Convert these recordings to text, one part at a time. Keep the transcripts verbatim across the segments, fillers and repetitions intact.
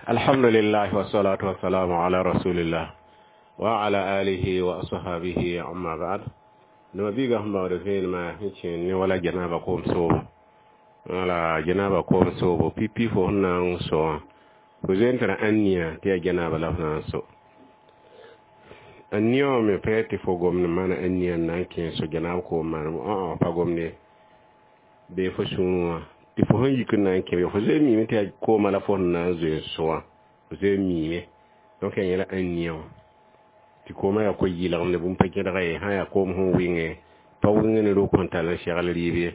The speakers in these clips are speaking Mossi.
Alhamdulillah wassalatu wassalamu ala rasulillah wa ala alihi wa ashabihi amma ba'd. Nima biiga sẽn baood vẽenemã sẽn kẽen ne wala janaba koom soobo. Wala janaba koom soobo pipi fo sẽn na n so wã fo zoe n tara ãnnia tɩ yaa janaba la f na n so. Ãnnia wã me pa yaa tɩ fo gomd n maana ãnnia n na n kẽ so janab koom manem õ pa gomd ye bee fo sũurẽ wã tɩ fo sẽn yik n na n kẽ be fo zoe n miime tɩ yaa koomã la fo sẽn na n zoe n so wã fo zoe n miime donc yaa yẽla ãnnia wã tɩ koomã yaa ko-yɩlgem ne bũmb pa gẽdga ye sã yaa koom sẽn wɩnge pa wɩng ne rok sẽn tall n segl rɩɩb ye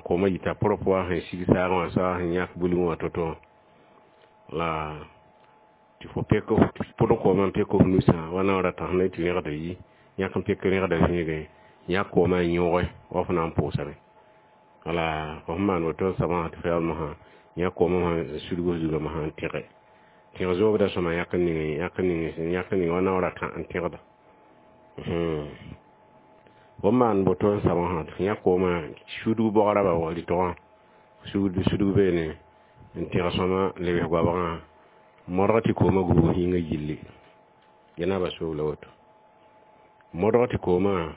koomã yita propre wa sẽn sig saagã wã soa sẽn yãk bulgẽ wã to-to la tɩ fo pek pʋd koomã n pek f nusã wa naoor a tãs ne tɩ rẽgda yi yãk n pek rẽgda zĩigẽ yãk koomã n yõge wa fo na n pʋʋsame wala fo sẽn maan woto n soabã tɩ fo yaool mosã yãk koomã sã n sudg f zugã mosã n tẽge tẽg zoobda sõma yãk n ning yãk n ning yãk n ning wa naoor a tã n tẽgda fo n maan woto n soabã sã tɩ f yãk koomã sudg bogrã ba rɩtgã sugd sudg beene n tẽg sõma lebs goabgã modg tɩ koomã gubg yĩngã yilli janaba soob la woto modg tɩ koomã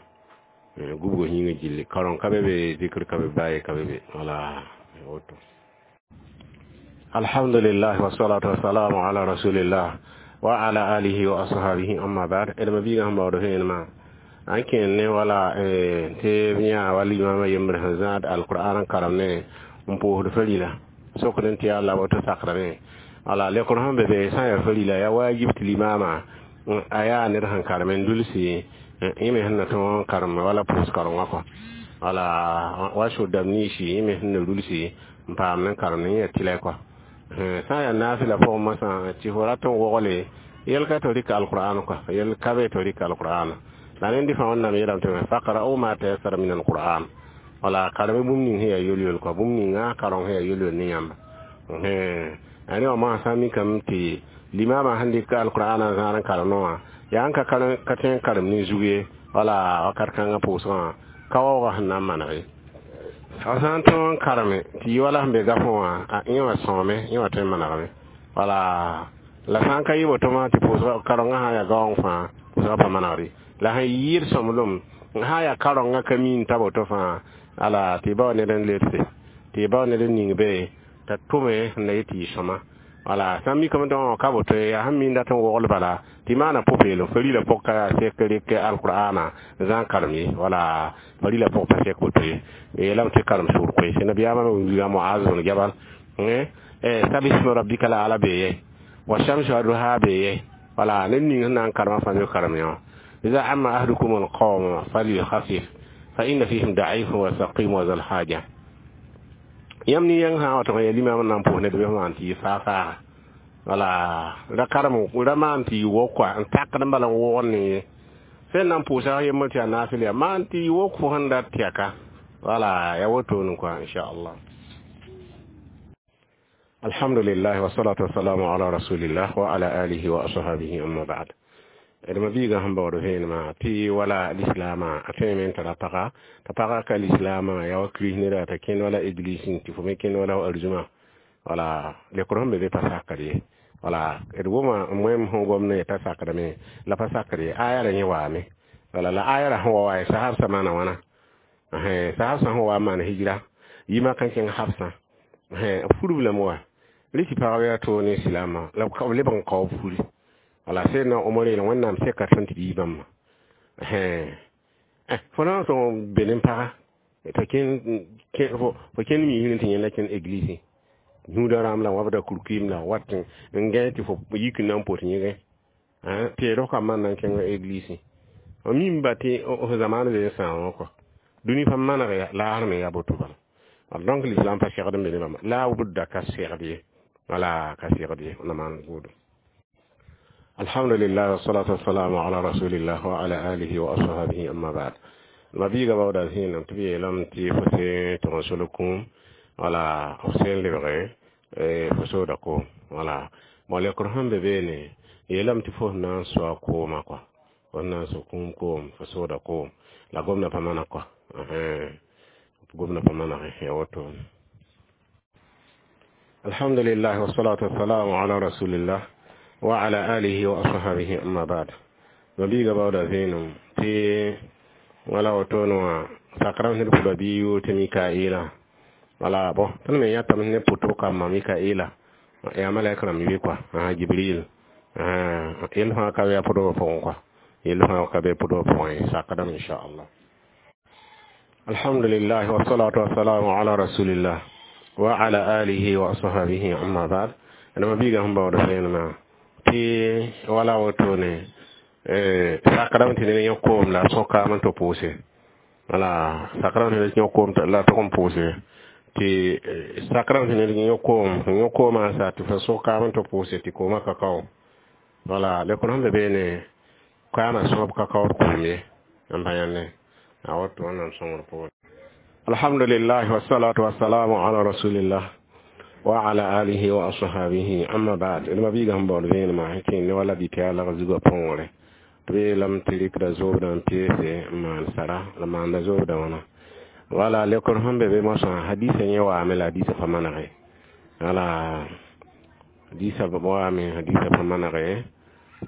gubg yĩngã gilli karõng ka be be zikr ka be baa ka be be wala woto. Alhamdulillah wassalatu wassalamu ala rasulillah wa ala alihi wa ashabihi amma ba'd. D mabiigã sẽn baood vẽenemã n kẽen ne wala tɩ b yã wa limama yembr sẽn zãad alqur'an n karem ne n pʋʋsd farila sokd n tɩ yaa la woto sakrame wala lekr sẽn be be sã n yaa farila yaa wajib tɩ limama a yaa ned sẽn karem n dulsi yẽ me sẽn na tõog n karem wala pʋʋs karengã kɔ wala wa sʋd-dãmb niisi yẽ me sẽn na rulsi n paam n karem ne yẽ tɩlɛ kɔ sã n yaa naafɩla pʋgẽ mosã tɩ fo rat n wogle yɛl ka tɩ rɩk alqur'an kɔ yɛl ka be tɩ rɩk alqur'an la rẽnd fãa wẽnnaam yeelame tɩ faqra'u ma tayassara min alqur'an wala kareme bũmb ning sẽn yaa yol-yol kɔ bũmb ninga kareng sẽn yaa yol-yol ne yãmba a rẽ wã mosã sã n mikame tɩ limama sẽn dɩk alqur'an n zãad n karem wã yaa n ka ka tõe n karem ne zug ye wala wakat kãngã pʋʋsgã ka waoogã sẽn na n maneg ye a sã n tõog n kareme tɩ yɩ wala sẽn be gafẽ wã a yẽ wã sõome yẽ wã tõe n manegame wala la sã n ka yɩ woto mã tɩ pʋʋsga karengã sã n yaa gaoong fãa pʋʋsgã pa manegre la sẽn yɩɩd sõmblem sã n yaa karengã ka miin t'a woto fãa ala tɩ y bao ned n ledse tɩ y bao ned n ning be t'a tʋme sẽn na yet tɩ yɩ sõma wala sã n mikame tɩ ka woto yaa sẽn miin dat n wogl bala tɩ maana pʋ-peelem farila pʋg ka yaa sek rɩk alqur'ana n zãn karem ye wala farila pʋg pa sek woto ye yeelame tɩ karem sʋʋr koeese nabiyaamã wilga Muaz bn Jabal sabisma rabbika la ala bee ye wa shamsi wa duha bee ye wala ned ning sẽn na n karema fãa me karem yã إذا عم أحدكم القوم فليخفف فإن فيهم ضعيف وسقيم وذا الحاجة yãmb ne yãng sã n wa tɩ ya limam n na n pʋʋs ned bɩ maan tɩ yɩ faa-faaga wala ra karem ra maan tɩ yɩ wok kɔa n takd n bala n wʋgd ne ye sẽn na n pʋʋsa yembr tɩ yaa naafɩl yaa maan tɩ yɩ wok fo sẽn dat tɩaka wala ya wotone kɔa inchallah. Alhamdulillah wassalatu wassalamu ala rasulillah wa ala alihi wa ashabihi amma ba'd. D mabiigã sẽn baood vẽenemã tɩ wala lislaamã a tõeme n tara paga t'a pagã ka lislaamã yaa wa kirist neda t'a kẽnd wala église tɩ fo me kẽnd wala arzũma wala lekr sẽn be be pa sakd ye wala d wʋma moem sẽn gom ne t'a sakdame la pa sakd ye aya ra yẽ waame wala la aya ra sẽn wa wa sahab maana wãna sahab sã sẽn wa n maan hijra yimã kan kẽng habsã furb lame wa rɩ tɩ pagb yaa toog ne silaamã la b lebg n kao b furi wala Seydna Omar yeela Wẽnnaam seka tõnd tɩ b yi bãmba fo na n tõg be ne paga t'a kẽn fo kẽnd miisr tɩ yẽnda kẽnd église yũuda rãmb la wabda kurkuim la wat n gãe tɩ fo yik n na n pot yẽgẽ tɩ rok a man na n kẽng église f mim ba tɩ f zamaan be n sãam wã kɔ dũni pa maneg laasr me yaa boto bala donc l'islam pa segd n be ne bãmba la budda ka segd ye wala ka segd ye na maan gʋʋdem. Alhamdulillah wassalatu wassalamu ala rasulillah wa ala alihi wa ashabihi amma ba'd. Mabiiga baooda zĩenam tɩ b yeelame tɩ fo se tɩg n solg kũum wala f sẽn lebge fo sooda koom wala bon lekr sẽn be beene yeelame tɩ fo sẽn na n soa koomã kɔa fo sẽn na n so kũum koom fo sooda koom la gomda pa maneg kɔa gomda pa manege ya wotone. Alhamdulillah wassalatu wassalamu ala rasulillah wa ala alihi wa ashabihi amma ba'd. Mabiiga bawda vẽenem tɩ wala woto wã sakra sẽd pʋda bɩ yʋʋr tɩ Mikaila wala bon tõnd me yãtame ne pʋtb kambã Mikaila yaa malɛk rãmb ye kɔa Jibril yell fãa ka be a pʋdbã pʋgẽ kɔa yell fãa ka be pʋdbã pʋgẽ ye sakdame inchallah. Alhamdulillah wassalatu wassalamu ala rasulillah wa ala alihi wa ashabihi amma ba'd. Dama biiga sẽn baood vẽenemã tɩ wala wotone sakdame tɩ ned yõ koom la a sõkaam n tɩ pʋʋse wala sakdame tɩ ned yõ koom la tʋg n pʋʋse tɩ sakdame tɩ ned yõ koom sẽn yõ koomã sa tɩ fa sõkaam n tɩ pʋʋse tɩ koomã ka kao wala lekr sẽn be beene kaamã sõb ka kaood koom ye n pa yãnde a woto wẽnnaam sõngr pʋgẽ. Alhamdulillah wassalatu wassalamu ala rasulillah wa ala alihi wa ashabihi amma ba'd. D mabiiga sẽn baood vẽenemã sẽn kẽnd ne wala bɩ tɩ yaa lag zugã põgre tɩ b yeelame tɩ rɩkda zoobdã n peese n maan sara la maanda zoobdã wãna wala lekr sẽn be be moasã hadisa yẽ waame la hadisa pa manege wala hadisa waame hadisa pa manege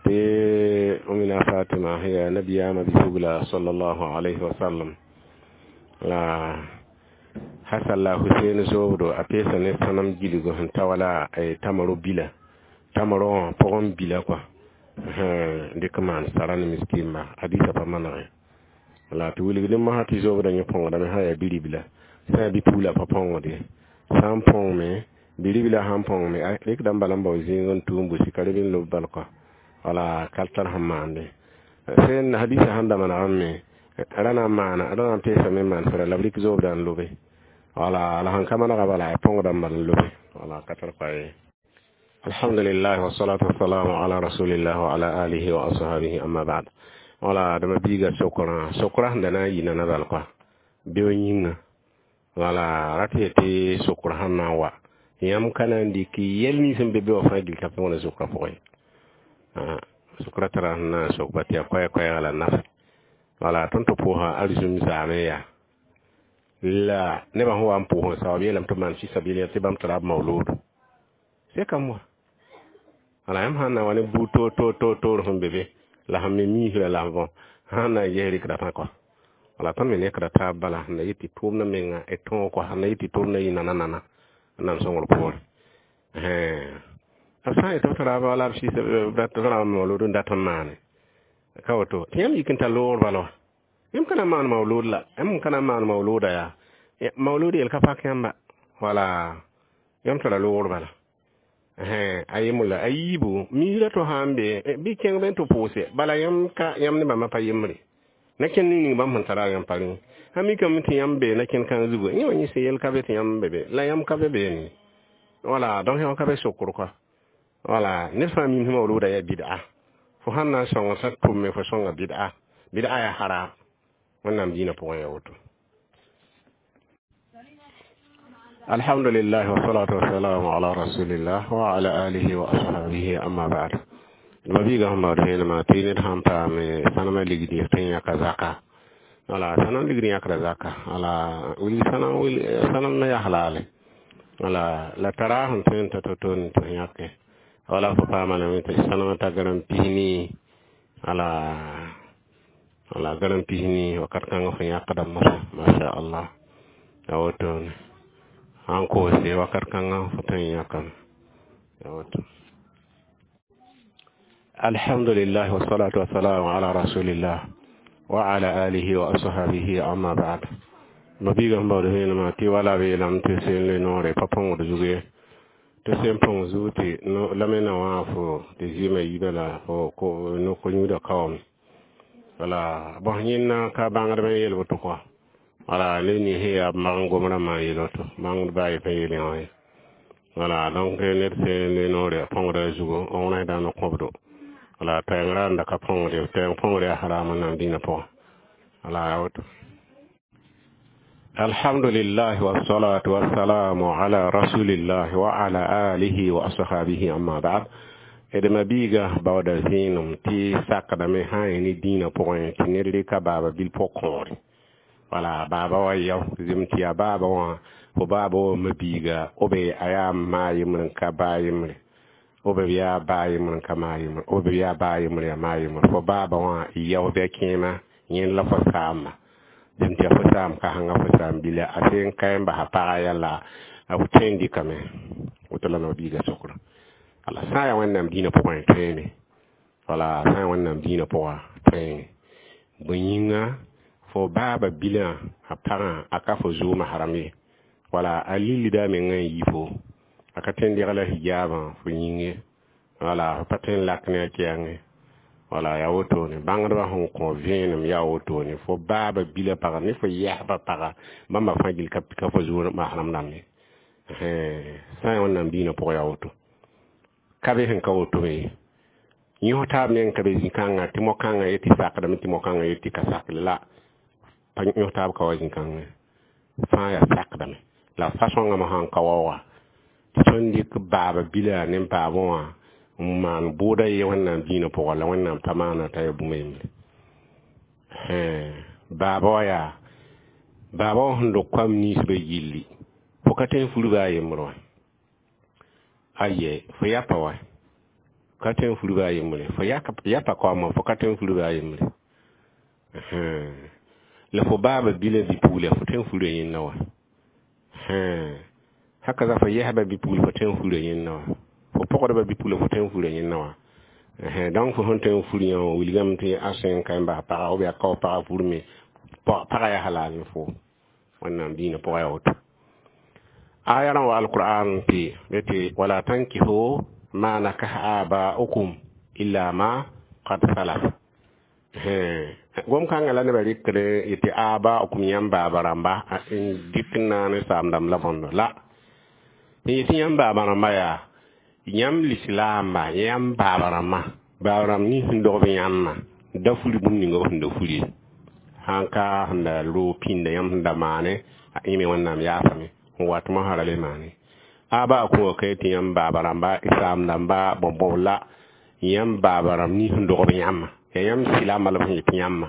tɩ Umina Fatima yaa nabiyaamã bi-pugla sallallahu alayhi wa sallam la Hasan la Husein zoobdo a peesa ne sãnem gilgo sẽn ta wala tamaro bila tamaro wã pʋgẽ bila kɔa dɩk maan sara ne miskĩmba hadisa pa manege la tɩ wilg ne mosã tɩ zoobdã yẽ põgdame sã yaa biribla sã yaa bi-pugla pa põgde sã n põgme biribla sãn põgme rɩkda n bala n bao zĩig n tʋʋm busi ka reb n lob bal kɔa wala ka tar sẽn maande sẽn hadisa sẽn da manegame ra na n maana ra na n peesame n maan sara la b rɩk zoobdã n lobe wala la sẽn ka manega bala a põgda n bal n lobe wala ka tar pa ye. Alhamdulillah wassalatu wassalamu ala rasulillah wa ala alihi wa ashabihi amma ba'd. Wala dama biiga sokraã sokraã sẽn da na n yɩ nana bal kɔa beo yĩnga wala rat yetɩ sokraã sẽn na n wa yãmb ka na n dɩk yɛl nins sẽn be be wã fãa gil t'a pʋgẽ sokraã pʋgẽ sokraã tara sẽn na n sokba tɩ yaa koɛɛ-koɛɛga la nafe wala tõnd tɩ pʋʋsã arzũm zaame yaa la nebã sẽn wa n pʋʋs n saoab yeelame tɩ b maan fisabilia tɩ bãmb tara b maoloodo sekame wa wala yãmb sãn na wa ne buud toor toor toor toor sẽn be be la sẽn me miisrã la bõ sãn na n ges rɩkda tã kɔa wala tõnd me nekda taab bala sẽn na yet tɩ tʋʋmdã menga d tõog kɔa sẽn na yet tɩ tʋʋmdã yɩ nana nana wẽnnaam sõngr poore b sã n yet b tara wala b sɩs tara maolood n dat n maane ka woto tɩ yãmb yik n tar loogr bala wa yãmb ka na n maan maolood la yãmb ka na n maan maolooda yaa maolood yel ka pak yãmba wala yãmb tara loogr bala a yemla a yiibu miisrã to sã n be bɩ kẽng be n tɩ pʋʋse bala yãmb ka yãmb ne bãmba pa yembre na kẽnd ning ning bãmb sẽn tara yãmb pa rẽ sã mikame tɩ yãmb be na kẽnd kãng zugu yẽ wã yẽ sẽn yel ka be tɩ yãmb be be la yãmb ka be beene wala donc yãmb ka be sokr kɔa wala ned fãa mim sẽn maolooda yaa bid'a fo sãn na n sõng sã tʋmme fo sõnga bid'a bid'a yaa haram wẽnnaam dĩinã pʋgẽ yaa woto. Alhamdulillah wassalatu wassalamu ala rasulillah wa ala alihi wa ashabihi amma ba'd. Mabiiga sẽn baood vẽenemã tɩ ned sãn paame sãnemã ligd tɩ n yãka zaka wala sãnem ligd yãkda zaka wala wilg sãnem sãnem me yaa halale wala la tara sẽn tõe n ta to-to n tɩ yãke wala fo paama lame tɩ sãnemã ta gãrem pis-nii wala wala gãrem pis-nii wakat kãngã fo yãkda mosã masha Allah a wotone sãn koose wakat kãngã fo tõe n yãkame a woto. Alhamdulillah wassalatu wassalamu ala rasulillah wa ala alihi wa ashabihi amma ba'd. Mabiiga sẽn baood vẽenemã tɩ wala b yeelame tɩ seen le noore pa põgd zug ye tɩ sẽn põng zug tɩ la me na wã fo tɩ zɩɩmã yiibã la fo ko-yũudã kaoome wala bõs yẽnna ka bãngdbã n yel woto kɔa wala ned nins sẽn yaa b mag n gom rãmbã n yel woto bãngdbã a ye pa yeel yã wã ye wala donc ned sẽn le noore a põgda zugu n wẽsdã n kõbdo wala taɛng ra n da ka põngde taɛng põngr yaa haram wẽnnaam dĩinã pʋgẽ wala yaa woto. Alhamdulillah wassalatu wassalamu ala rasulillah wa ala alihi wa ashabihi amma ba'd. D mabiiga baooda vẽenem tɩ sakdame sã n ne dĩinã pʋgẽ tɩ ned rɩka baaba bil pʋg-kõore Wala baaba wa yaw zem tɩ yaa baaba wã fo baaba wã mabiiga b a yaa maa yembr n ka baa yembre b yaa baa yembr n ka maa yembre b yaa baa yembr yaa maa yembre fo baaba wã yao bɩ a kẽema yẽnd la fo saamba zem tɩ yaa fo saam kasengã fo saam bila a se n ka n basa paga yalla a f tõe n dɩkame woto la nabiiga sokra wala sã n yaa wẽnnaam dĩinã pʋgẽ tõeeme wala sã n yaa wẽnnaam dĩinã pʋga tõeeme bõe yĩnga fo baaba bilã a pagã a ka fo zʋʋmã haram ye wala a lillida a mengã n yi fo a ka tõe n degla hijaabã fo yĩng ye wala fo pa tõe n lak ne a kɛɛngẽ wala yaa wotone bãngdbã sẽn kõ vẽenem yaa wotone fo baaba bilã pagã ne fo yɛsbã pagã bãmba fãa gill ka ka fo zʋʋmã haram dãmb ye sã n yaa wẽnnaam dĩinã pʋgã yaa woto ka be sẽn ka woto me ye yõs taab meng ka be zĩ-kãngã tɩ mo-kãngã yetɩ sakdame tɩ mo-kãngã yetɩ ka sakle la pa yõs taab ka wa zĩ-kãngã fãa yaa sakdame la fa-sõngã mosã n ka waooga tɩ tõnd dɩk baaba bila ne baabã wã n maan bʋʋda ye wẽnnaam dĩinã pʋgã la wẽnnaam pa maana t'a yaa bũmb yembre baaba wã yaa baaba wã sẽn dog koam ninsbã gilli fo ka tõe n furba a yembr wã aye fo yapa wa ka tõe n furba a yembre fo yapa kaoama fo ka tõe n furba a yembre la fo baaba bila bi-pugla fo tõe n fura yẽnda wã haka za fo yɛsba bi-pugl fo tõe n fura yẽnda wã fo pɔgdba bi-pugla fo tõe n fura yẽnda wã donc fo sẽn tõe n fur yã wã wilgame tɩ a sẽn ka n bas paga ou bien a kao paga furme paga yaa halal ne fo wẽnnaam dĩinã pʋgã yaa woto aya rã wa alqur'an tɩ tɩ wala tankihu ma nakaha aba'ukum illa ma qad salaf gom-kãngã la nebã rɩkd yetɩ aba'ukum yãmb baaba rãmba n dɩk n naane saam dãmb la bõndo la n yetɩ yãmb baaba rãmba yaa yãmb lislaamba yãmb baaba rãmbã baaba rãmb nins sẽn dogb yãmbã da furi bũmb ninga b sẽn da furi sãn ka sẽn da roog pĩnda yãmb sẽn da maane a ẽme wẽnnaam yaasame n wat mosã ra le maane aba kõ ka tɩ yãmb baaba rãmba saam dãmba bõn-bõb la yãmb baaba rãmb nins sẽn dogb yãmbã yaa yãmb silaambã la b sẽn yetɩ yãmbã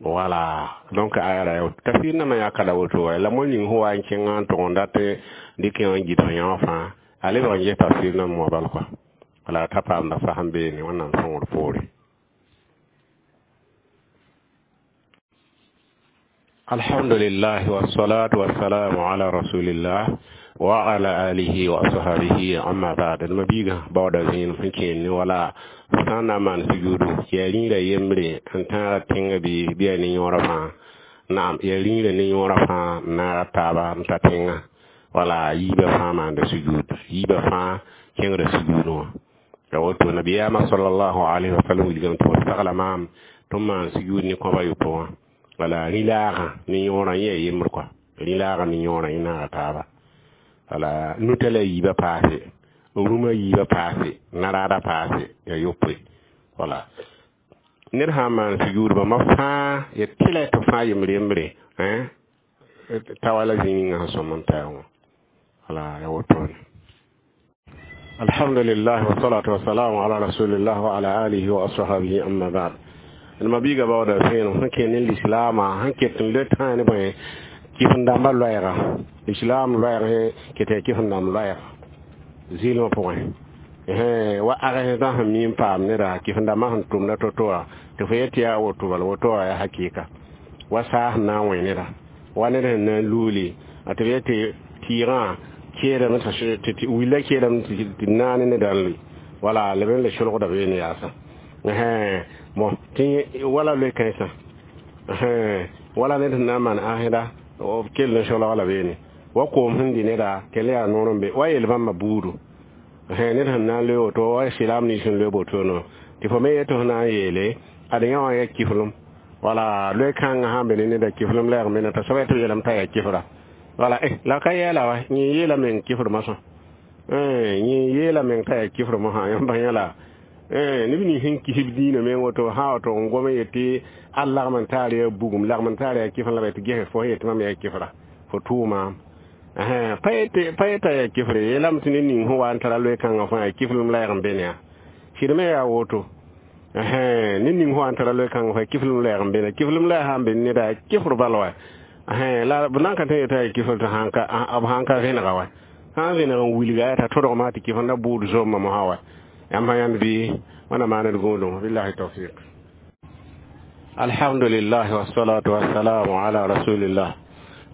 wala donc aya ra tafsir nãmã yaa ka la woto wa la mo ning sẽn wa n kẽngã n tʋg n dat dɩk yã n gɩdg yã wã fãa a lebg n ges tafsir nãmb wã bal kɔa wala t'a paamda fasem beene wẽnnaam sõngr poore alhamdulillah wassalatu wassalamu ala rasulillah wa ala alihi wa ashabihi amma ba'd ma biga bawda zin sẽn kẽen ne wala sã n na n maan sujuudu yaa rĩirã yembre n tãaga tẽngã bɩ bɩ yaa ne yõorã fãa naam yaa rĩirã ne yõorã fãa n naaga taaba n ta tẽngã wala yiibã fãa maanda sujuud yiibã fãa kẽngda sujuudẽ wã ya woto nabiyaamã sallallahu alaihi wasallam wilgame tɩ b sagla maam tɩ n maan sujuud ne kõba yopo wã wala rĩ-laagã ne yõorã yẽ yaa yembr kɔa rĩ-laagã ne yõorã yẽ naaga taaba wala nuta la yiibã paase rũmã yiibã paase naraada paase yaa yopoe wala ned sã n maan sujuud bãmba fãa ya tɩla tɩ fãa yembr yembre ta wala zĩ ninga sẽn sõm n taɛ wã wala ya wotone alhamdulillah wasalatu wasalamu ala rasulillah wa ala alihi wa ashabihi amma ba'd ma biiga baooda vẽenem sẽn kẽ ne lislaamã sẽn ket n le tãa ne bõe kɩf-n-dãmbã loɛɛga islam loɛɛg ket yaa kɩf-n-dãmb loɛɛga zɩɩlmã pʋgẽ wa agsdã sẽn mi n paam neda kɩf-n-dãmbã sẽn tʋmda to-to wã tɩ fo yet tɩ yaa woto bala woto wã yaa hakɩɩka wa saas sẽn na n wẽ neda wa ned sẽn na n luuli tɩ b yet tɩ tɩɩgã keedame tɩ willa keedame tɩ naane neda n lʋɩ wala leb n le solgda beene yaasa bon tɩ wala loe kãensã wala ned sẽn na n maan ãsda b kell n solg la beene wa koom sẽn dɩ neda kell yaa noor n be wa yel bãmba buudu ned sẽn na n loe woto wa silaam nins sẽn loe botono tɩ fo me yetɩ f na n yeele ad yã wã yaa kiflem wala loe kãngã sãn be ne neda kiflem la yaa mena t'a soaba tɩ b yeelame t'a yaa kifra wala eh la ka yɛɛla wa yẽ yeela meng kifr mosã yẽ yeela meng t'a yaa kifr mosã yãmb yãla neb nins sẽn kisb dĩinã meng woto sã woto n gom n yetɩ al lagm n taar yaa bugum lagm n taar yaa kifr la b tɩ gese fo yetɩ mam yaa kifra fo tʋʋmaam pa yeta yaa kifre yeelame tɩ ned ning sẽn wa n tara loe kãngã fãa yaa kiflem la yag n be ne yaa sɩd me yaa woto Ned ning fo sãn tara loe-kãng fa kiflem lɛɛg n beene kiflem lɛɛg sã n be neda kifr bal wa la b na n ka tõe yetã yaa kifl tɩ b sãn ka vẽnega wa sã n vẽneg n wilga t'a tõdgmã tɩ kifenda buud zombã mosã wa yãmb sã yãnd bɩ wẽnnaam maan d gũudum billahi tawfiq. Alhamdulillah wassalatu wassalamu ala rasulillah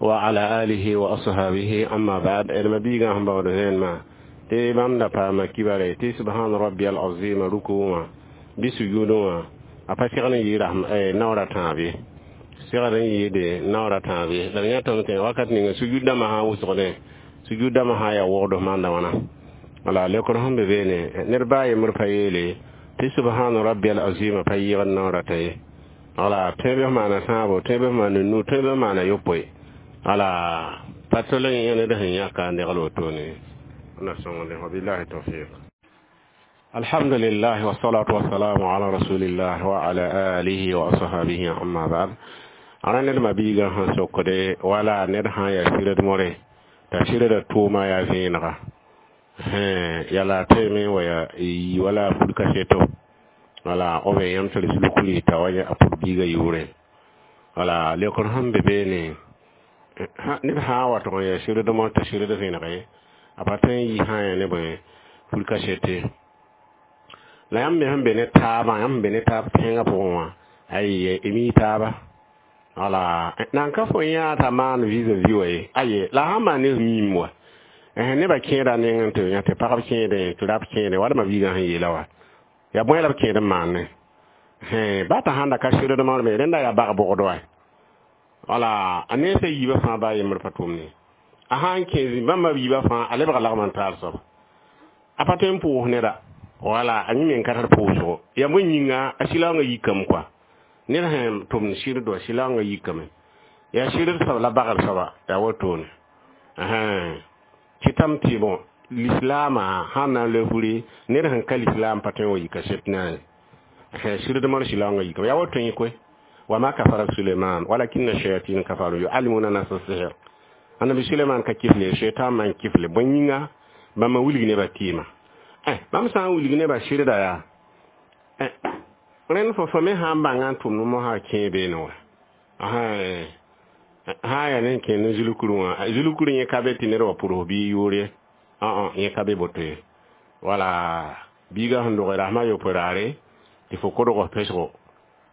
wa ala alihi wa ashabihi amma ba'd. D ma biigã sẽn baood vẽenemã tɩ bãmb da paama kibare tɩ subhana rabbiyal azim ruku wã bɩ sujudẽ wã a pa segd n yɩ naoor a tãab ye segd n yɩɩde naoor a tãab ye la d yãtame tɩ wakat ninga sujud dãmbã sã n wʋsgdẽ sujud dãmbã sã n yaa wogd maanda wãna wala leokr sẽn be beene ned baa yembr pa yeele tɩ subhana rabbiyal azim pa yɩɩgd naoor a tã ye wala tõe bɩ f maana tãabo tõe bɩ f maana nu tõe bɩ f maana yopoe wala pa tol n yẽ ned sẽn yãka n degl wotone na sõngde wabillahi tawfiq. Alhamdulillah wassalatu wassalamu ala rasulillah wa ala alihi wa ashabihi amma ba'd. Ara ned ma biigã sẽn sokde wala ned sã n yaa sɩrd more t'a sɩrda tʋʋma yaa vẽenega yala tõeme wa yaa yi wala pud kaseto wala b yãmb tɩ d zulkuri t'a wa a pud biigã yʋʋrẽ wala leokr sẽn be beene ned sã n wa tʋg n yaa sɩrd mor t'a sɩrd vẽenege a pa tõe n yi sã n yaa ne bõe pud kasete la yãmb me sẽn be ne taabã yãmb sẽn be ne taab tẽngã pʋgẽ wã ay mi taaba wala nan ka fo yã t'a maan vis-à-vis wa ye aye la sãn maan ne miim wa nebã kẽeda nengẽ tɩ yã tɩ pagb kẽedẽ tɩ rab kẽede wala biigã sẽn yeela wa yaa bõe la b kẽed n maane ba t'a sãn da ka sɩrd me rẽnda yaa bag bʋgd wa wala a nensã yiibã fãa baa yembr pa tʋmne a sãn kẽ zĩ-bãmbã yiibã fãa a lebga lagm n taal soaba a pa tõe n pʋʋs neda wala a yẽ me n ka tar pʋʋsgo yaa bõe yĩnga a sɩlaoongã yikame kɔa ned sẽn tʋmd sɩrd wa sɩlaoongã yikame yaa sɩrd soab la bagr soaba yaa wotone kɩtame tɩ bõ lislaamã sãn na n loe furi ned sẽn ka lislaam pa tõe n wa yika set na ye sɩrd mor sɩlaoongã yikame yaa woto yẽ koe wama kafara Suleiman walakinna shayatin kafaru yuallimuna nasa sihr annabi Suleiman ka kifle shaitan man kifle bõe yĩnga bãmba wilg nebã tɩɩma bãmb sã n wilg nebã sɩrda yaa rẽnd fo fo me sã n bãnga n tʋmd mosã kẽe beene wa sã n yaa ne kẽ ne zulkuru wã zulkuru yẽ ka be tɩ ned wa pʋrs bɩ yʋʋr ye yẽ ka be boto ye wala biigã sẽn dog rasmã yopoe raare tɩ fo kodg pesgo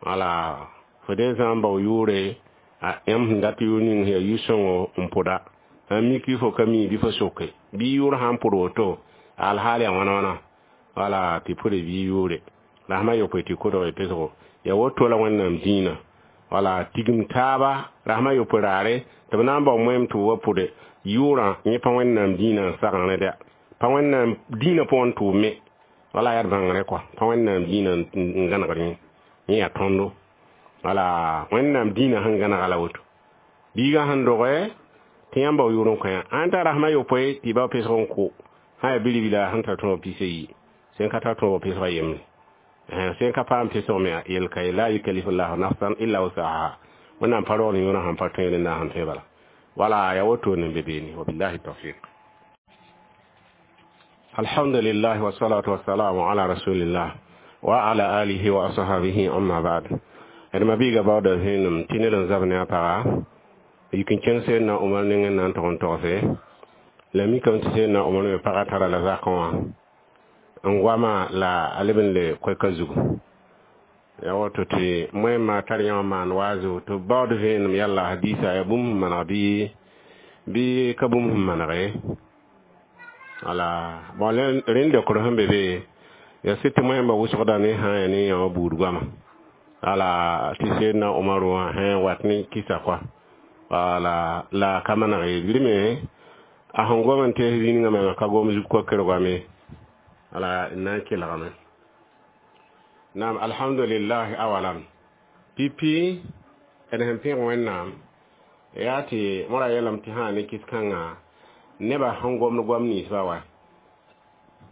wala fo dee zã n bao yʋʋre yãmb sẽn dat yʋʋr ning yaa yʋ-sõngo n pʋda n mik fo ka mi bɩ fo soke bɩ yʋʋr sã n pʋd woto alhaal yaa wãna wãna wala tɩ pʋde bɩ yʋʋre rasmã yopoe tɩ kodg pesgo yaa woto la wẽnnaam dĩinã wala tigim taaba rasmã yopoe raare tɩ b na n bao moɛm tɩ b wa pʋde yʋʋrã yẽ pa wẽnnaam dĩinã n sagẽ rẽda pa wẽnnaam dĩinã pʋgẽ n tʋʋm me wala yaa d bãngrẽ kɔa pa wẽnnaam dĩinã n gãnegd yẽ yẽ yaa tõndo wala wẽnnaam dĩinã sẽn gãnega la woto biigã sẽn doge tɩ yãmb bao yʋʋr n kõ yã ãn t'a rasmã yopoe tɩ bao pesg n kʋ sã yaa bilibila sẽn tar tõog pis a yi sẽn ka tar tõog pesgã yembre sẽn ka paam pesg me yel ka ye la yukalifullahu nafsan illa wusaha wẽnnaam pa roogl yõorã sãn pa tõe rẽnda sẽn tõe bala wala yaa wotone n be beene wabillahi tawfiq. Alhamdulillah wassalatu wassalamu ala rasulillah wa ala alihi wa ashabihi amma ba'd. D ma biiga baooda vẽenem tɩ ned n zab ne a paga yik n kẽng Seedna Omar nengẽ na n tog n togse la mikame tɩ Seedna Omar me pagã tara la zakẽ wã n goama la a leb n le koɛka zugu yaa woto tɩ moẽmã tar yã wã maan waazo tɩ b baood vẽenem yalla hadiisa yaa bũmb sẽn maneg bɩ bɩ ka bũmb sẽn maneg ye wala bon rẽnd leokr sẽn be be yaa sɩd tɩ moẽmbã wʋsgda ne sã n yaa ne yã wã buud goama wala tɩ Seedna Omar wã sẽn wat ne kɩsa kɔa wala la ka maneg ye rɩ me a sẽn gom n tees zĩnigã me ka gom zug koker goame wala n na n kelgame naam. Alhamdulillah awalan pipi d sẽn pẽg wẽnnaam yaa tɩ mora yeelame tɩ sã ne kis-kãngã nebã sẽn gomd goam ninsbã wa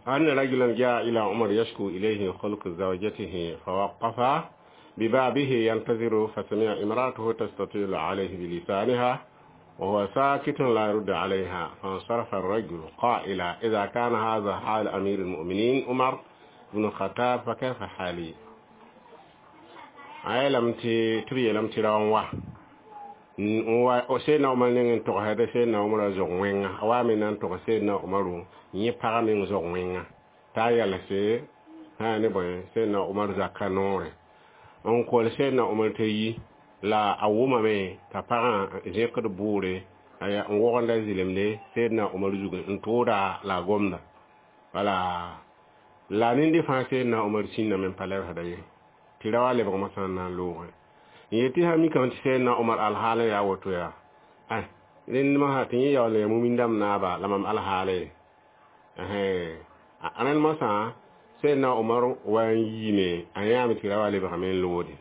أن رجلا جاء إلى عمر يشكو إليه خلق زوجته فوقف ببابه ينتظر فسمع امرأته تستطيل عليه بلسانها وهو ساكت لا يرد عليها فانصرف الرجل قائلا إذا كان هذا حال أمير المؤمنين عمر بن الخطاب فكيف حالي. A yeelame tɩ tɩ b yeelame tɩ rao n wa n wa Seydna Omar nengẽ n togsd Seydna Omar zog wẽnga a wa me na n togs Seydna Omaru yẽ pagã meng zog wẽnga t'a yalse sã ne bõe Seydna Omar zaka noorẽ n kol Seydna Omar t'a yi la a wʋmame t'a pagã zẽkd bʋʋre n wogenda zɩlemde Seydna Omar zugẽ n tʋʋda la a gomda wala la nende fãa Seydna Omar sĩndame n pa lebsda ye tɩ ra wa lebg mosã n na n loogẽ n yetɩ sã mikame tɩ Seydna Omar alhaal yaa woto yaa rẽnd mosã tɩ yẽ yaool n ya mumin dãmb naaba la mam alhaale rẽnd mosã Seydna Omar wa n yiime a yãame tɩ ra wa lebgame n loode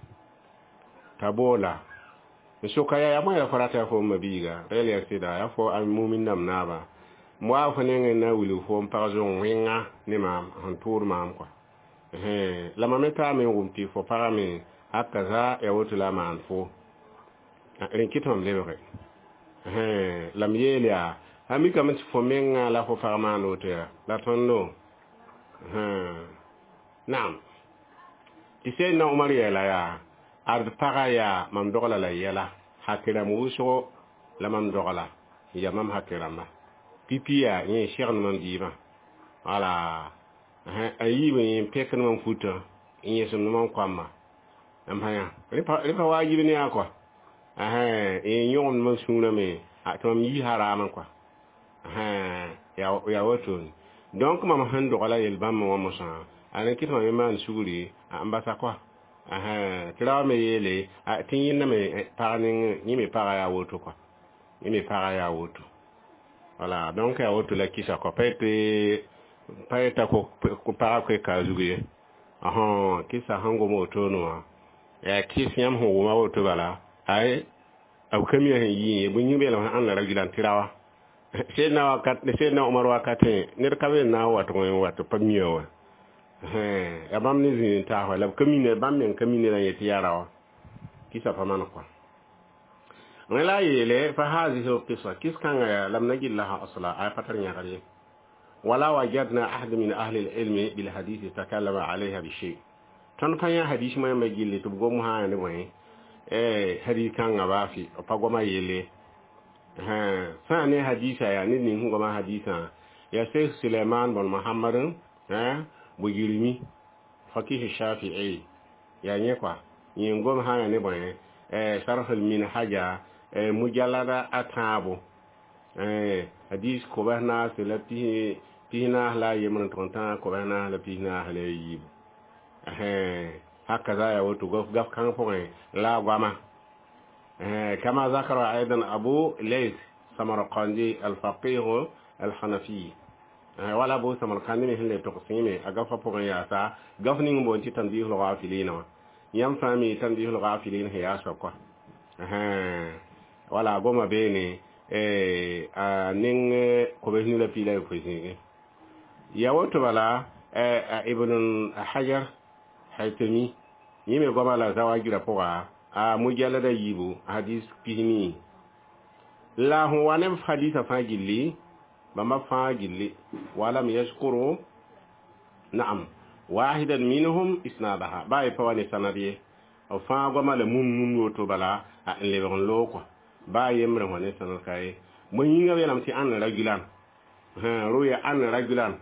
t'a boola n soka yaa yaa bõe la fo rata yaa fo n mabiiga rel yaa sɩda yaa fo a mumin dãmb naaba m waa fo nengẽ na wilg fo n pag zong wẽnga ne maam sẽn tʋʋd maam kɔa la mam me taame n wʋm tɩ fo pagame hakaza ya woto la maan fo rẽ kɩt mam lebge la m yeel yaa a mikame tɩ fo menga la fo pag maan woto yaa la tõndo naam tɩ Seydna Omar yeela yaa ad paga yaa mam dogla la yɛla hakɩrãmb wʋsgo la mam dogla n ya mam hakɩrãmba pipi yaa yẽ segd mam dɩɩbã wala a yiib n pẽkd mam futã n yẽsem mam koamba n pa yã rẽ pa waajib ne yaa kɔa n yõgemd mam sũurã me tɩ mam yi haraamã kɔa yaa wotone donc mam sẽn dogla yel-bãmb wã mosã a rẽ kɩ tɩ mam me maan sugri n basa kɔa tɩ ra wa me yeele tɩ yẽnda me pag nengẽ yẽ me pagã yaa woto kɔa yẽ me pagã yaa woto wala donc yaa woto la kɩsa kɔa pa yetɩ pa yeta ko pagã koe ka zug ye kɩsa sẽn gom wotone wã yaa kɩs yãmb sẽn wʋma woto bala ay b ka mi sẽn yɩ ye bõe yĩng beelem sẽn ãnda ra tɩ ra wa Seydna wakat Seydna Omar wakatẽ ned ka be n na n wat n wat pa mia wã yaa bãmb ne zĩig n taas wa la b ka mi bãmb meng ka mi ned n yet tɩ yaa raoã kɩsa pa maan kɔa rẽ la a yeele fa hazihi lqisa kis kãngã yaa lam najid laha asla a pa tar yãgr ye wala wajadna ahad min ahli lilmi bilhadisi takallama alayha bishay tõnd pa yã hadis moẽmba gilli tɩ b gom sã ne bõe hadis kãngã baa fɩ b pa goma yelle sã ne hadisa yaa ned ning sẽn goma hadisã yaa Sheikh Suleiman bon Muhammad Bugirmi fakih Shafi'i yaa yẽ kɔa yẽ gom sã ya ne bõe sharh al-minhaja mujallada a tãabo hadis kobs naase la pis naas la a yembr n tʋg n tã kobs naas la pis naas la a yiibu hakaza ya woto gaf kãng pʋgẽ la a goama كما ذكر أيضا أبو ليث سمرقندي الفقيه الحنفي wala bo samarkandi me sẽn le tog sẽeme a gafa pʋgẽ yaasa gaf ning boon tɩ tanbih lgafilin wã yãmb fãa mi tanbih lgafilin sẽn yaa soab kɔa wala a goma beene a ning kobs nu la piila yopoe zĩigẽ ya woto bala Ibn Hajar Haytami yẽ me goama la zawajirã pʋga a mujallada yiibu hadis pisnii la sẽn wa ne hadisa fãa gilli bãmba fãa gilli walam yashkuru naam wahidan minhum isnadaha ba y pa wa ne sanad ye b fãa goama la mum mum woto bala a n lebg n loog kɔa baa yembre wã ne sanad ka ye bõe yĩngã yeelame tɩ ãn rajulan ruya an rajulan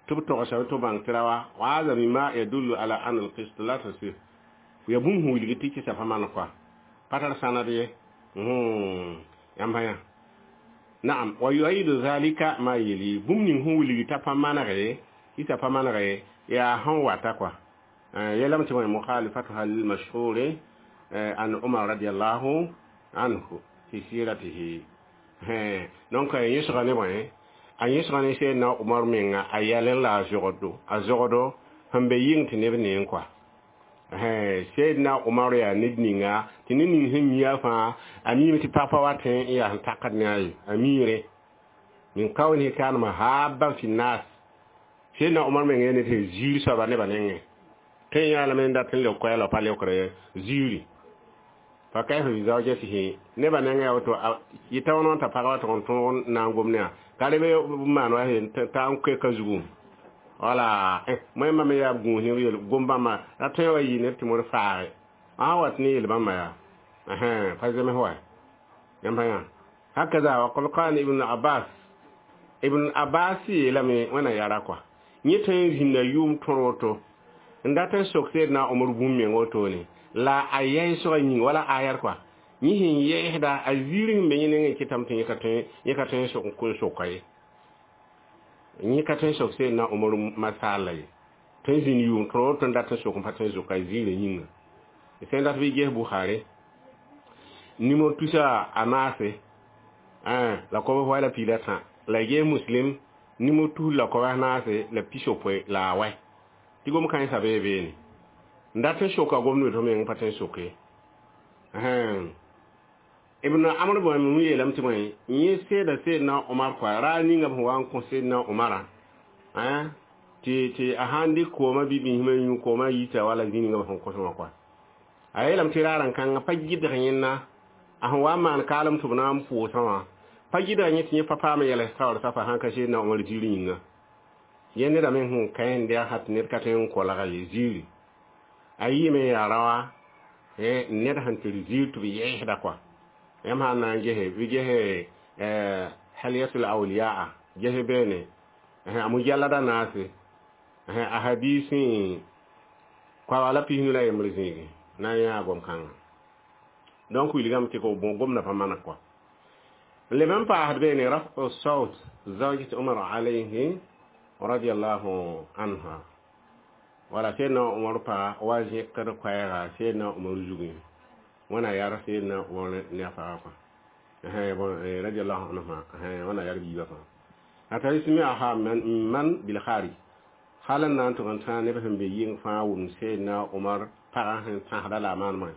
tɩ b togsa tɩ bãng tɩ ra wa wa hada mima yadullu ala an alqist la tasih ya bũmb sẽn wilg tɩ kɩsa pa maan kɔa pa tar sanad ye yãmb yã naam wa yuayidu zalika ma yeli bũmb ning sẽn wilg t'a pa manege kɩsa pa manege yaa sẽn wata kɔa yelame tɩ bõe mukhalifatuha lilmashhuri an Umar radiallahu anhu fi siratihi donc yẽsga ne bõe a yẽsga ne Seydna Umar menga a yɛl la a zogdo a zogdo sẽn be yɩng tɩ neb neeng kɔa Seydna Umar yaa ned ninga tɩ ned ning sẽn mi a fãa a miime tɩ pag pa wa tẽ n yaa sẽn takd ne a ye a miire min kawnihi kana mahabban fi nnas Seydna Umar meng yaa ned sẽn ziir soaba nebã nengẽ tõe n yaalame n dat n leb koɛɛla pa leokre ziiri fa kayfa bi zawjatihi nebã nengẽ yaa woto yɩta wã t'a pagã wa tʋg n tõog n na n gom ne ka rebe maan wa t'a n koe ka zugu wala moẽmbã me yaa b gũus ne yel gom-bãmba ra tõe wa yɩ ned tɩ mod faage A wat ne yel bãmba yaa pa zems wa yãmb pa yã hakaza wa qad qala Ibn Abbas. Ibn Abbas yeelame wẽna yara kɔa yẽ tõe n zĩnda yʋʋm tõr woto n dat n sok Seedna Omar bũmb meng wotone la a yɛɛsgã yĩng wala ayat kɔa yẽ sẽn yɛɛsda a ziir sẽn be yẽ nengẽ kɩtame tɩ yẽ ka tõe yẽ ka tõe n sok n soka ye yẽ ka tõe n sok Seedna Omar masala ye tõe n zĩnd yʋʋm tõr woto n dat n sok n pa tõe n zoka ziirã yĩnga sẽn dat bɩ ges Bukhari numéro tusa a naase la kob wa la piila tã la ges Muslim numéro tus la kob naase la pisopoe la a wɛ tɩ gom kãensã bee beene n dat n soka gomd tɩ meng pa tõe n soke. Ibn Amr bõe yeelame tɩ bõe yẽ seeda Seedna Omar kɔa raar ninga b sẽn wa n kõ Seedna Omara tɩ tɩ a sãn dɩk koomã bɩ biismã yũ koomã yita wala zĩ ninga b sẽn kos wã kɔa a yeelame tɩ raar n kãngã pa gɩdg yẽnna a sẽn wa n maan kaalem tɩ b na n pʋʋsã wã pa gɩdga yẽ tɩ yẽ pa paam yɛls taoor safa sãn ka Seedna Omar ziir yĩnga yẽ neda me sẽn ka yẽnd yaa tɩ ned ka tõe n kolga ye ziiri a yɩɩme yaa raoa ned sẽn tɩ ziir tɩ b yɛɛsda kɔa yãmb sã n na n gese bɩ gese Halyatul Awliyaa gese beene a mujallada naase a hadisi koa la pisnu la yembr zĩigi na n yãa gom-kãngã donc wilgame tɩ gomda pa maneg kɔa leb n paasd beene rafu saut zawjat Umar alayhi radiallahu anha wala Seedna Umar pa wa zẽkd koɛɛga Seedna Umar zugẽ wẽna yar Seedna Umar ne a pagã kɔa radiallahu anha wẽna yar biiba fãa a tari smiaha man bil kharij hal n na n tʋg n tãag neb sẽn be yɩng fãa wʋm Seedna Umar pagã sẽn tãsda la a maanema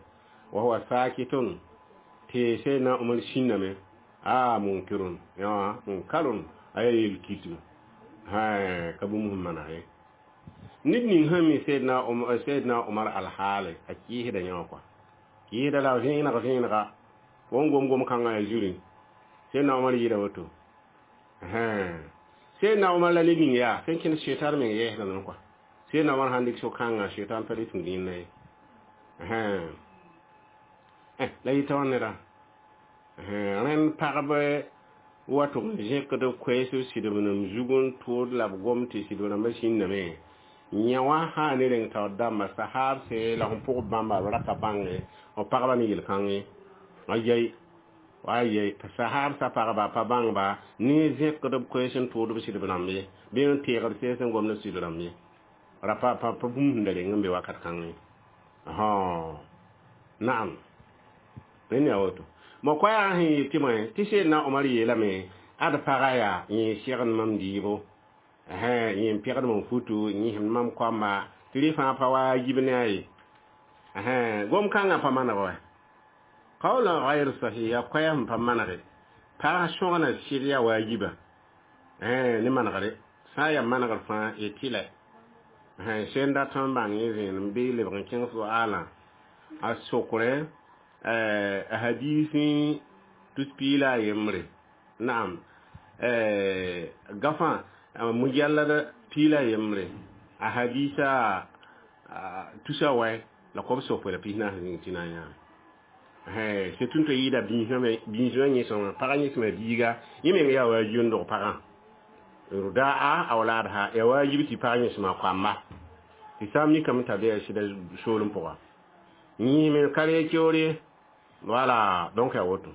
wa huwa sakitun tɩ Seedna Umar sĩndame a munkirun yã munkarun a yaa yel kitg ka bũmb sẽn maneg ye ned ning sẽn mi Seedna Seedna Umar alhaale a kɩɩsda yã wã kɔa kɩɩsda la vẽeneg vẽenega wõn gom-gom kãngã yaa zurẽ Seedna Umar yɩɩda woto Seedna Umar la ned ning yaa sẽn kẽnd setan meng yɛɛsdame kɔa Seedna Umar sãn dɩk so-kãngã setan pa le tũud yẽnda ye la yɩta wã neda rẽnd pagb wa tʋg n zẽkd koɛɛs b sɩdb nem zug n tʋʋd la b gom tɩ sɩdb rãmbã sĩndame yã wã sã ne reng taoor dãmba sahaabse la sẽn pʋg bãmba b ra ka bãnge b pagba ne yel-kãngẽ a yɛi wa yɛi sahaabsã pagba pa bãngba ne zẽkd b koɛɛs n tʋʋd b sɩdb rãmb ye bɩ n teegd sees n gomd sɩdb rãmb ye ra pa pa bũmb sẽn da reng n be wakat kãngẽ naam rẽnd yaa woto mo koɛɛgã sẽn yeel tɩ bõe tɩ Seedna Omar yeelame ad pagã yaa yẽ segd mam dɩɩbo yẽ n pegd mam futu yẽsem mam koamba tɩ rɩ fãa pa waajib ne a ye gom-kãngã pa maneg wa qawlan gayr sahih yaa koɛɛg sẽn pa manege pag sõgna sɩd yaa waajiba ne manegre sã n yaa manegr fãa y tɩlɛ sẽn dat n bãng yẽ vẽenem bɩ lebg n kẽng soaalã a sokre a hadisi tus piila a yembre naam gafã mujallad piila yembre a hadisa tusa wɛ la kob sopoe la pis naas zĩig tɩ na n yãame c'est tʋ tɩ yɩɩda biismã yẽsem pagã yẽsema biiga yẽ meng yaa waajib n dog pagã rudaa awlaadha ya waajib tɩ pag yẽsema koamba tɩ sã n mikame t'a be a sɩda soolem pʋga yĩsme ka reeg keoore voilà donc ya woto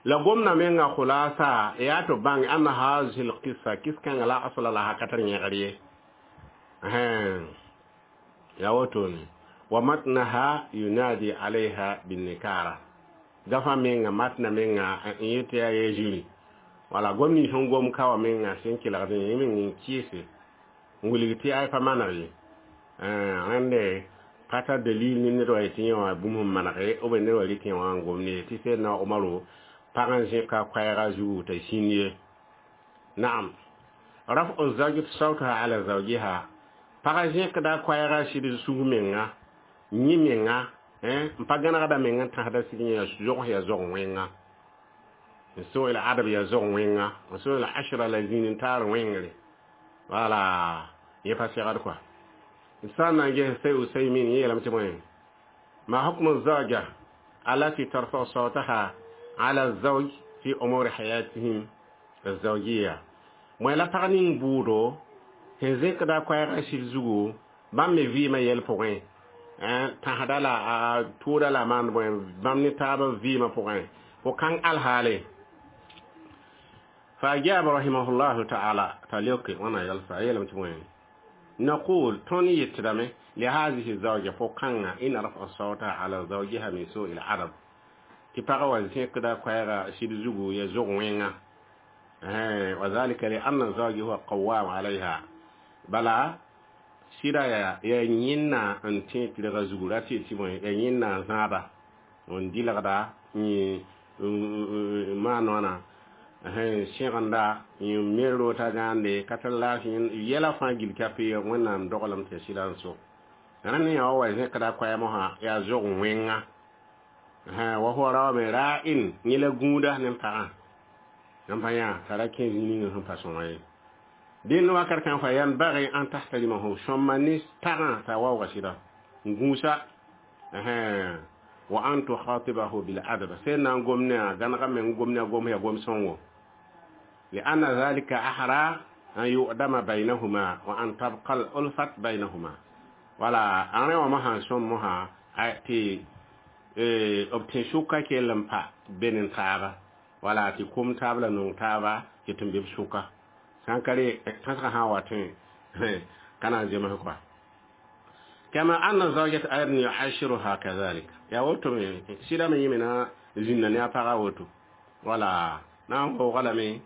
la gomna menga khulasa ya to bang anna hazihi alqissa kiskanga la asla laha katar yẽgr ye ya woto ne wa matnaha yunadi alayha binnikara gafa menga matna menga n yetɩ yaa ye zĩri wala gom ning sẽn gom ka wã menga sẽn kelgd yẽ meng n kɩɩse n wilg tɩ ay pa maneg ye rẽnde pa tar dalil ne ned wa yetɩ yẽ wã bũmb sẽn manege b ned wa rɩk yẽ wã n gom ne tɩ Seedna Omaro pag n zẽka koɛɛga zugu t'a sĩnd ye naam rafu zawjati sawtaha ala zawjiha pagã zẽkda koɛɛga sɩd sug menga yẽ menga n pa gãnegda meng n tãsda sɩd yẽ zogs yaa zog wẽnga n soel adab yaa zog wẽnga n soel ashra la zĩn n taar wẽngre wala yẽ pa segd kɔa sã n na n ges say Usaymin yẽ yeelame tɩ bõe ما حكم الزوجة التي ترفع صوتها على الزوج في أمور حياتهم الزوجية moe la pag ning buudo sẽn zẽkda koɛɛgã sɩd zugu bãmb me vɩɩmã yɛl pʋgẽ tãsda la a tʋʋda la maan bõe bãmb ne taabã vɩɩmã pʋgẽ fo kãng alhaale فأجاب رحمه الله تعالى تليوك وانا يلفا يلم تبوين نقول توني يتدمي لهذه الزوجة فوقنا إن رفع الصوت على زوجها من سوء العرب تبقى وزين كده كويرا سيد زوجو يزوج وينا وذلك لأن الزوج هو قوام عليها بلا sɩda yaa yaa yẽnna n tẽ tɩlga zugu ra tɩ tɩ bõe yaa yẽnna n zãada n dɩlgda n maan wãna sẽgenda yẽ mer roota gãande ka tar laafɩ yɛla fãa gil ka pe wẽnnaam doglem tɩ sɩda n so rẽnd yã wa wa zẽkda koɛɛm wã yaa zog wẽnga wa huwa raoome ra'in yẽ la gũuda ne pagã yãmb pa yã t'a ra kẽ zĩ-ninga sẽn pa sõma ye dẽnd wakat kãng fa yanbagi an tahtarimahu sõma ne pagã t'a waooga sɩda n gũusa wa an tukhatibahu bil adab sẽn na n gom ne a gãnega meng gom ne a gom ya gom sõngo لأن ذلك أحرى أن يؤدم بينهما وأن تبقى الألفة بينهما ولا أنا وما sõm mosã tɩ b tẽ sʋka kell n pa ben n taaba wala tɩ kom taab la nong taaba tɩ tɩ n be b sʋka sãn ka re tãsgã sã n wa tõe ka na n zems kɔa كما أن الزوجة أيضا يعاشرها كذلك ya woto me sɩda me yẽ me na zĩnda ne a pagã woto wala na n waooga lame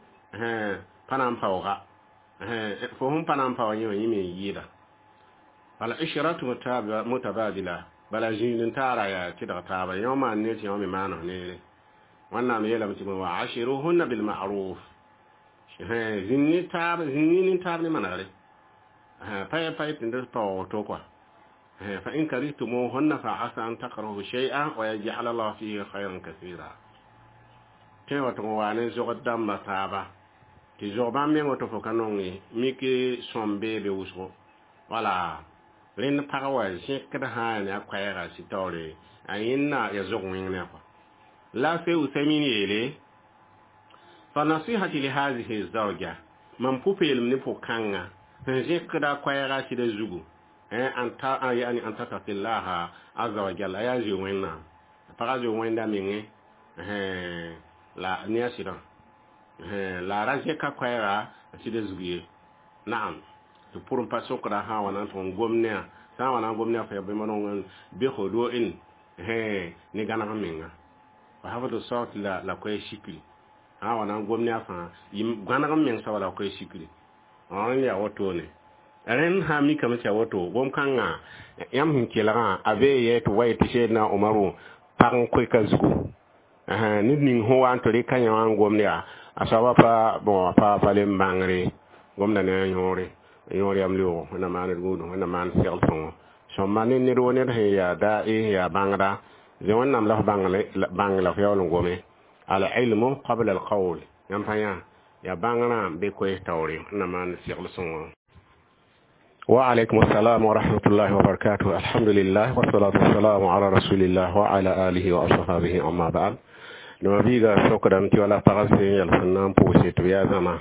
pa na n paooga fo sẽn pa na n paoog yẽ wã yẽ me n yɩɩda bala ishratu mutabadila bala zĩig n taara yaa tɩdg taaba yõ maan neer tɩ yõ me maan f neere wẽnnaam yeelame tɩ wa ashiruhunna bilma'ruf zĩnd ne taab zĩnd ne taab ne manegre pa ya pa tɩ d paoog to kɔa فإن كرهتموهن فعسى أن تكرهوا شيئا ويجعل الله فيه خيرا كثيرا tẽ wa tɩ wa ne zogd dãmbã taaba tɩ zog bãmb meng woto fo ka nong ye mik sõm beebe wʋsgo wala rẽnd pag wa zẽkd sã ne a koɛɛga sɩ taoore a yẽnna ya zog wẽng ne kɔa la fe Usaymin yeele fa nasihati li hazihi zawja mam pʋ-peelem ne pʋ-kãngã sẽn zẽkda koɛɛga sɩda zugu an ta yani an tattaqillaha azza wa jalla ya zoe wẽnnaam pagã zoe wẽnda menge la ne a sɩdã la ra zẽka koɛɛga sɩda zug ye naam tɩ pʋr n pa sokda sã n wa na n tʋg n gom ne a sã n wa na n gom ne a fa bɩ manong bɩ hudu'in ne gãneg menga wa hafdu sawt la la koɛɛ sikri sã n wa na n gom ne a fãa gãneg meng soaba la koɛɛ sikri n yaa wotone rẽnd sã n mikame tɩ ya woto gom-kãngã yãmb sẽn kelgã a bee yɛ tɩ wa yetɩ Seedna Omaru pag n koɛka zugu ned ning sẽn wa n tɩ rɩka yã wã n gomd yaa a soaba pa bon pa pa le n bãngre gomda ne a yõore yõor yam leoogo wẽnnaam maan d gũudum wẽnnaam maan segl sõngo sõma ne ned wo ned sẽn yaa dae yaa bãngda zẽ wẽnnaam la f bãng la f yaool n gome al ilmu qabla al qawl yãmb pa yã yaa bãngrã be koees taoore wẽnnaam maan segl sõngo وعليكم السلام ورحمة الله وبركاته الحمد لله والصلاة والسلام على رسول الله وعلى آله وأصحابه أما بعد نما بيغا sokdame tɩ wala pag sẽn yɛl sẽn na n pʋʋse tɩ b yaa zãma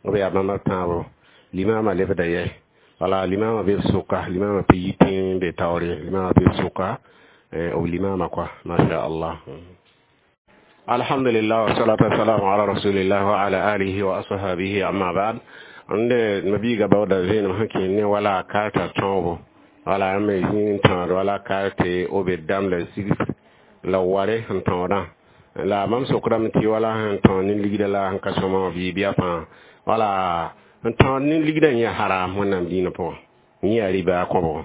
b yaa bãmb tãabo limama lebda yɛ wala limama be b sʋka limama pa yi tẽ be taoore limama be b sʋka b limama kɔa masha allah الحمد لله والصلاة والسلام على رسول الله وعلى آله وأصحابه أما بعد nde mabiiga baooda vẽenem sẽn kẽ ne wala karta tõobo wala me zĩig n tãod wala karte b dam la sigs la ware sẽn tõodã la mam sokdame tɩ wala sẽn tõod ne ligda la sẽn ka sõma wã bɩ bɩa fãa wala n tõod ne ligdã yẽ haram wẽnnaam dĩinã pʋgẽ yẽ yaa riba kõbgo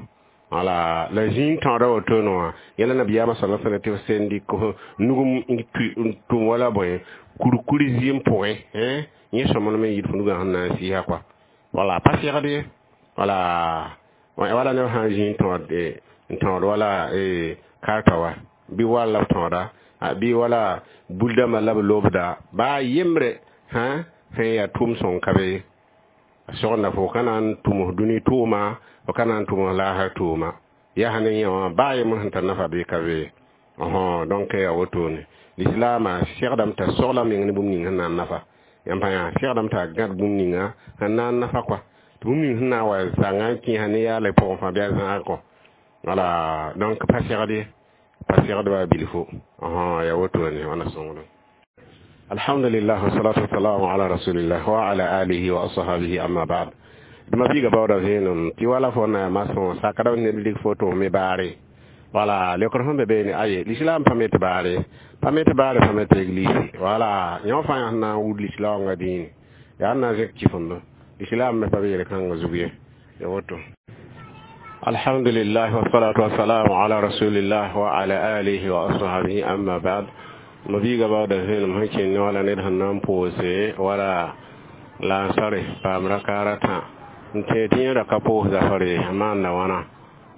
wala la zĩig tõoda wotone wã yẽla nabiyaamã sala sallam tɩ f sẽn dɩk nugum n tʋm wala bõe kurkur zɩɩm pʋgẽ yẽ sõmd me yɩɩd fo nugã sẽn na n sɩɩsa kɔa wala pa segd ye wala wala neb sã n zĩ n tõod n tõod wala karta wa bɩ wall la b tõoda bɩ wala buldãmbã la b lobda baa yembre sã sẽn yaa tʋʋm sõng ka be ye sogenda fo ka na n tʋms dũni tʋʋma fo ka na n tʋms laasr tʋʋma Yaa ne yẽ wã baa yembr sẽn tar nafa bɩ ka be. Donc yaa wotone lislaamã segdame t'a sogla meng ne bũmb ning sẽn na n nafa. Yãmb pa yã segdame t'a gãd bũmb ninga sẽn na n nafa kɔa. Tɩ bũmb ning sẽn na n wa zãnga n kẽesa ne yaala pʋgẽ fãa bɩ a zãag kɔ. Wala donc pa segd ye, pa segd baa bilfu. Yaa wotone wãna sõngdo. Alhamdulillah, wassalatu wassalamu ala rasulillah wa ala alihi wa ashabihi, amma ba'd. Dma biiga baooda vẽenem tɩ wala fo na masõ sakda ned lig foto me baare. Wala lekr sẽn be beene aye l'islam pa me tɩ baare, pa me tɩ baare, pa me tɩ église. Wala yõ fãa sẽn na n wud lislaoongã dĩine yaa n na n zẽk kifendo l'islam me pa be yel-kãngã zug ye. Ya woto. Alhamdulillah, wassalatu wassalamu ala rasulillah wa ala alihi wa ashabihi, amma ba'd. Ma biiga baooda vẽenem sẽn kẽnd wala ned sẽn na n pʋʋse wala lansare paam rakaar a tã n tẽ tɩ yẽ ra ka pʋʋs zafare a maanda wãna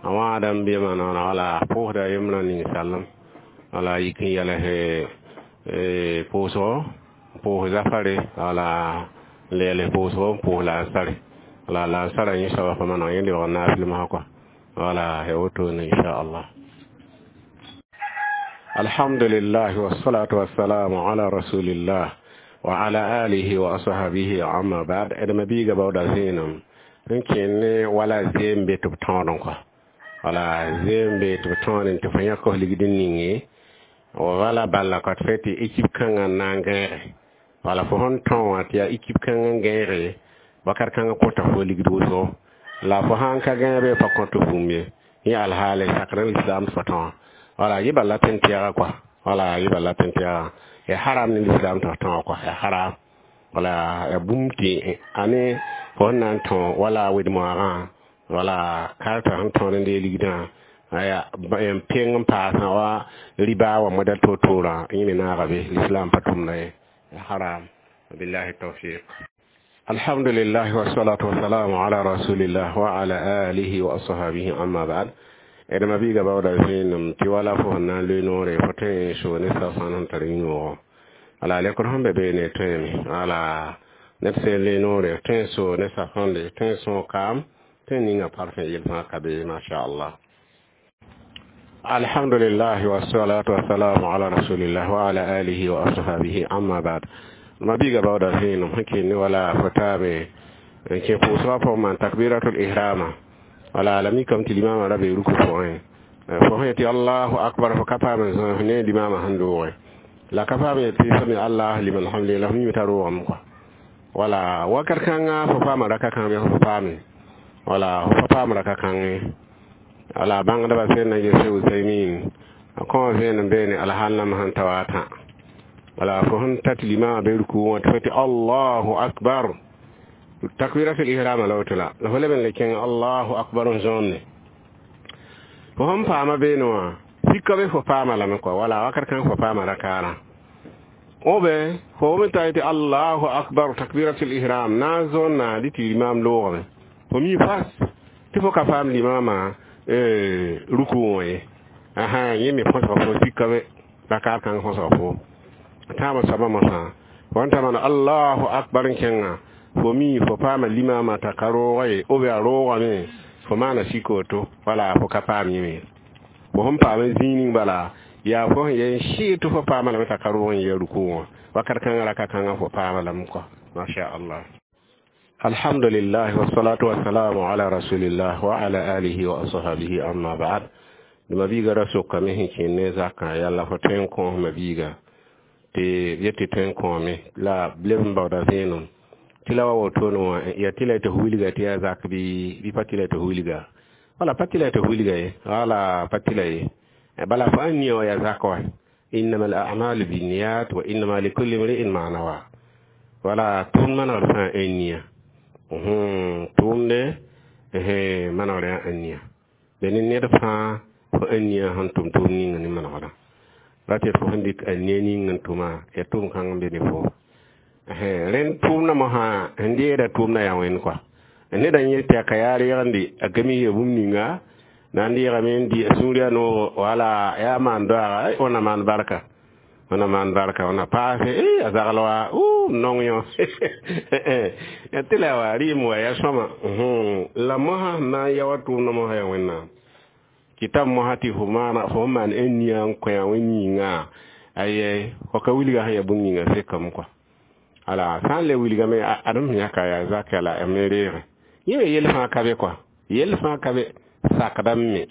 a wãada n be maana wala pʋʋsda yembrã ninsalem wala yik n yɛls pʋʋsgo pʋʋs zafare wala n leels pʋʋsgo n pʋʋs lansare wala lansarã yẽ soaba pa maneg yẽ lebg n naafɩl mosã kɔa. Wala ya wotone inchallah. Alhamdulillah, wassalatu wassalamu ala rasulillah wa ala alihi wa ashabihi, amma ba'd. Edma biiga baooda vẽenem n kẽnd ne wala zeem be tɩ b tõodẽ kɔa. Wala zeem be tɩ b tõodẽ tɩ fo yãk f ligd n ninge wala bala ka tɩ tɩ équipe kãngã n na n gãege. Wala fo sẽn tõ wã tɩ yaa équipe kãngã n gãege wakat kãngã kõta fo ligd wʋsgo la fo sãn ka gãebe pa kõt bũmb ye. Yẽ alhaale sakr n lislaam tɩ fo tõ wã. Wala yɩ bala tẽn tɛɛga kɔa. Wala yɩ bala tẽn tɛɛga ya haram ne lislaam tɩ fo tõ kɔa ya haram. Wala ya bũmb tɩ ane fo sẽn na n tõ wala wed-moagã wala karta sẽn tõod n dee ligdã aya n peng n paasã wa riba wa moda to-toorã yẽ me naaga be l'islam pa tʋmda ye ya haram. Billahi tawfiq. Alhamdulillah, wassalatu wassalamu ala rasulillah wa ala alihi wa ashabihi, amma ba'd. Edma biiga baooda vẽenem tɩ wala fo sẽn na n loe noore fo tõe n soo ne safãn sẽn tar yĩnoogɔ. Wala lekr sẽn be beene tõeme wala ned sẽn loe noore tõe n soo ne safãnde tõe n sõog kaam tõe n ninga parfẽ yel fãa ka be machallah. Alhamdulillah, wassalatu wassalamu ala rasulillah wa ala alihi wa ashabihi, amma ba'd. Ma biiga baooda vẽenem sẽn kell ne wala fo taame n kẽ pʋʋsgã pʋgẽ maan takbiratul ihrama. Wala la mikame tɩ limamã ra be ruku pʋgẽ fo sẽn tɩ allahu akbar fo ka paam n zãs ne limamã sẽn doogẽ la ka paam tɩ sami allah liman hamdi la f mime t'a roogame kɔa. Wala wakat kãnga fo paama raka kãng bɩ fo paame wala fo pa paam raka kãngẽ. Wala bãngdbã sẽn na gese Usaymin a kõ vẽenem beene alhal-nam sẽn ta wa tã. Wala fo sẽn ta tɩ limamã be ruku wã tɩ fo tɩ allahu akbar takbiratul ihrama la woto la la fo leb n le kẽng allahu akbar n zõonde fo sẽn paama beene wã sika be fo paama lame kɔa. Wala wakat kãng fo paama rakaarã obe fo me ta tɩ allahu akbar takbiratul ihram na n zõonna dɩ tɩ limam loogame fo mi fas tɩ fo ka paam limamã ruku wã ye asa yẽ me põsga fo sika be rakaar kãng põsga fo tãabã soabã mosã fo n ta maan allahu akbar n kẽnga fo mi fo paama limamã t'a ka roogã ye obe a roogame fo maana sik woto. Wala fo ka paam yẽ me fo sẽn paam zĩig ning bala yaa fo sẽn yen sɩɩg tɩ fo paama lame t'a ka roog n yɛ ruku wã wakat kãngã raka kãngã fo paama lame kɔa masha allah. Alhamdulillah, wassalatu wassalamu ala rasulillah wa ala alihi wa ashabihi, amma ba'd. Dma biiga ra sokame sẽn kẽnd ne zakã yalla fo tõe n kõosma biiga tɩ yetɩ tõe n kõome la b leb n baooda vẽenem tɩ la wa wotone wã ya tɩ la tɩ wilga tɩ yaa zak bɩ bɩ pa tɩ la tɩ wilga. Wala pa tɩ la tɩ wilga ye wala pa tɩ la ye bala fo ãn nia wã yaa zak wa. Innama al a'malu binniyat wa innama likulli imri'in ma nawa. Wala tʋʋmd manegd fãa ãn nia tʋʋmde manegd yaa ãn nia be ne ned fãa fo ãn nia sẽn tʋm tʋʋm ninga ne manegda ra tɩ fo sẽn dɩk a nia ning n tʋma ya tʋʋm kãng n be ne fo rẽnd tʋʋmdã mosã sẽn deeda tʋʋmdã yaa wẽnd kɔa neda n yel tɩ a ka yaa reegende a gami ya bũmb ninga na n deegame n dɩ a sũur yaa noogo wala yaa maan doaaga wẽna maan barka wẽna maan barka wẽna paase a zagl wa nong yõ tɩ la wa rɩɩm wa ya sõma la mosã sẽn na n ya wa tʋʋmdã mosã yaa wẽnnaam. Kɩta mosã tɩ fo maana fo maan n nia n kõ wẽnd yĩnga, aye, fo ka wilga sẽn ya bũmb ninga sekame kɔa. Ala sã n le wilgame, adem sẽn yãka yaa zaka la me reege yẽ me yell fãa ka be kɔa, yell fãa ka be, sakdame me,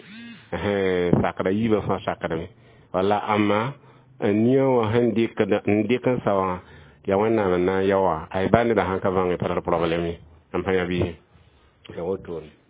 sakda yiibã fãa sakdame. Wala amma nia wã sẽn dɩkd n dɩk n sa wã, yaa Wẽnnaam n na n yao wã. Ay, ba nedã sãn ka bãnge, pa tar problème ye. M pa yã bɩ ya wotone.